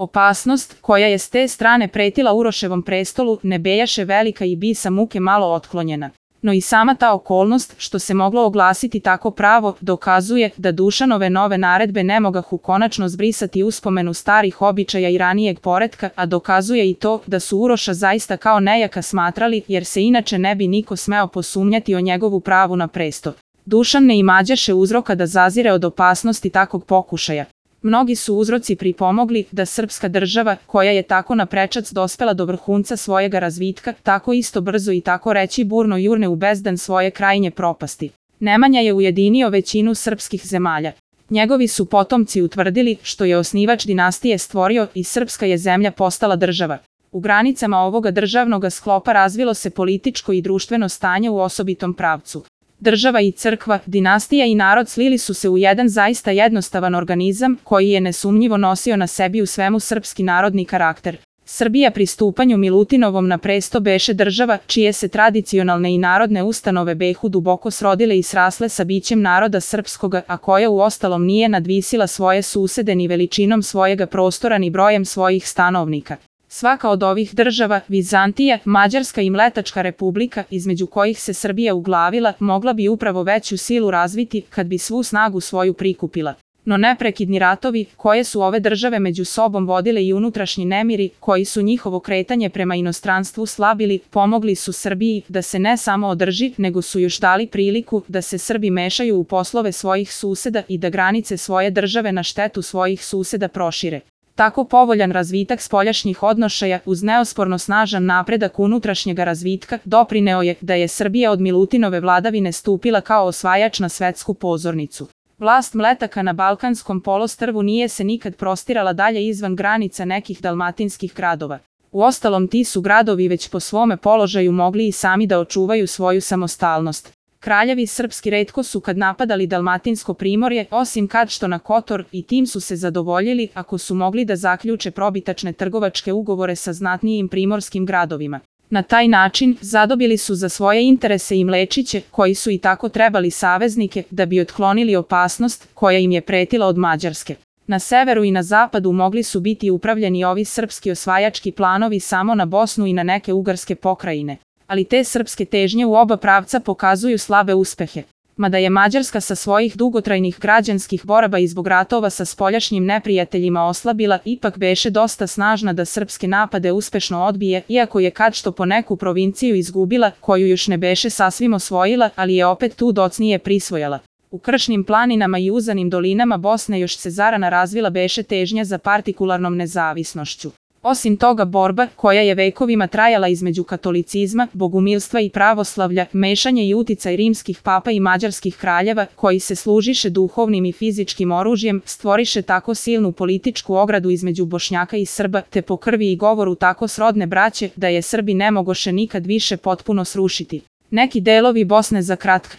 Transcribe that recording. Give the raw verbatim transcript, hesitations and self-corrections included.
Opasnost, koja je s te strane pretila Uroševom prestolu, ne bejaše velika i bi sa muke malo otklonjena. No i sama ta okolnost, što se moglo oglasiti tako pravo, dokazuje da Dušanove nove naredbe ne mogahu konačno zbrisati uspomenu starih običaja i ranijeg poretka, a dokazuje i to da su Uroša zaista kao nejaka smatrali, jer se inače ne bi niko smeo posumnjati o njegovu pravu na prestol. Dušan ne imađaše uzroka da zazire od opasnosti takvog pokušaja. Mnogi su uzroci pripomogli da srpska država, koja je tako naprečac dospela do vrhunca svojega razvitka, tako isto brzo i tako reći burno jurne u bezdan svoje krajnje propasti. Nemanja je ujedinio većinu srpskih zemalja. Njegovi su potomci utvrdili što je osnivač dinastije stvorio i srpska je zemlja postala država. U granicama ovoga državnoga sklopa razvilo se političko i društveno stanje u osobitom pravcu. Država i crkva, dinastija i narod slili su se u jedan zaista jednostavan organizam koji je nesumnjivo nosio na sebi u svemu srpski narodni karakter. Srbija pri stupanju Milutinovom na presto beše država čije se tradicionalne i narodne ustanove behu duboko srodile i srasle sa bićem naroda srpskoga, a koja u ostalom nije nadvisila svoje susede ni veličinom svojega prostora ni brojem svojih stanovnika. Svaka od ovih država, Vizantija, Mađarska i Mletačka republika, između kojih se Srbija uglavila, mogla bi upravo veću silu razviti kad bi svu snagu svoju prikupila. No neprekidni ratovi, koje su ove države među sobom vodile i unutrašnji nemiri, koji su njihovo kretanje prema inostranstvu slabili, pomogli su Srbiji da se ne samo održi, nego su još dali priliku da se Srbi mešaju u poslove svojih suseda i da granice svoje države na štetu svojih suseda prošire. Tako povoljan razvitak spoljašnjih odnošaja uz neosporno snažan napredak unutrašnjega razvitka doprineo je da je Srbija od Milutinove vladavine stupila kao osvajač na svetsku pozornicu. Vlast Mletaka na Balkanskom poluostrvu nije se nikad prostirala dalje izvan granica nekih dalmatinskih gradova. Uostalom ti su gradovi već po svome položaju mogli i sami da očuvaju svoju samostalnost. Kraljevi srpski retko su kad napadali dalmatinsko primorje, osim kad što na Kotor, i tim su se zadovoljili ako su mogli da zaključe probitačne trgovačke ugovore sa znatnijim primorskim gradovima. Na taj način zadobili su za svoje interese i Mlečiće, koji su i tako trebali saveznike da bi otklonili opasnost koja im je pretila od Mađarske. Na severu i na zapadu mogli su biti upravljeni ovi srpski osvajački planovi samo na Bosnu i na neke ugarske pokrajine. Ali te srpske težnje u oba pravca pokazuju slabe uspehe. Mada je Mađarska sa svojih dugotrajnih građanskih boraba i zbog ratova sa spoljašnjim neprijateljima oslabila, ipak beše dosta snažna da srpske napade uspešno odbije, iako je kad što po neku provinciju izgubila, koju još ne beše sasvim osvojila, ali je opet tu docnije prisvojala. U kršnim planinama i uzanim dolinama Bosne još se zarana razvila beše težnja za partikularnom nezavisnošću. Osim toga borba, koja je vekovima trajala između katolicizma, bogumilstva i pravoslavlja, mešanje i uticaj rimskih papa i mađarskih kraljeva, koji se služiše duhovnim i fizičkim oružjem, stvoriše tako silnu političku ogradu između Bošnjaka i Srba, te po krvi i govoru tako srodne braće, da je Srbi ne mogoše nikad više potpuno srušiti. Neki delovi Bosne za kratko